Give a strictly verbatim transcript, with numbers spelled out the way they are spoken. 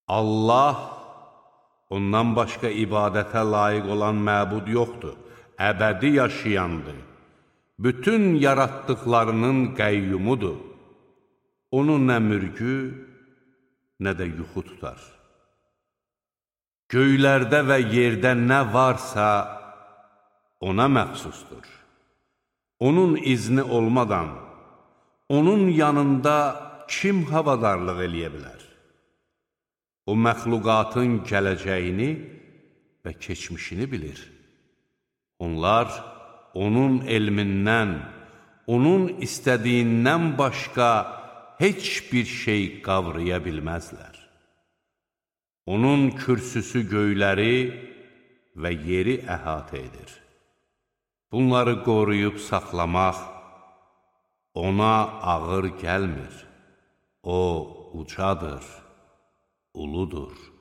Allah, ondan başqa ibadətə layiq olan məbud yoxdur, əbədi yaşayandır. Bütün yaratdıqlarının qəyyumudur. Onun nə mürgü, nə də yuxu tutar. Göylərdə və yerdə nə varsa, ona məxsusdur. Onun izni olmadan, onun yanında kim havadarlıq eləyə bilər? O, məxluqatın gələcəyini və keçmişini bilir. Onlar, onun elmindən, onun istədiyindən başqa heç bir şey qavraya bilməzlər. Onun kürsüsü göyləri və yeri əhatə edir. Bunları qoruyub saxlamaq ona ağır gəlmir. O, ucadır, uludur.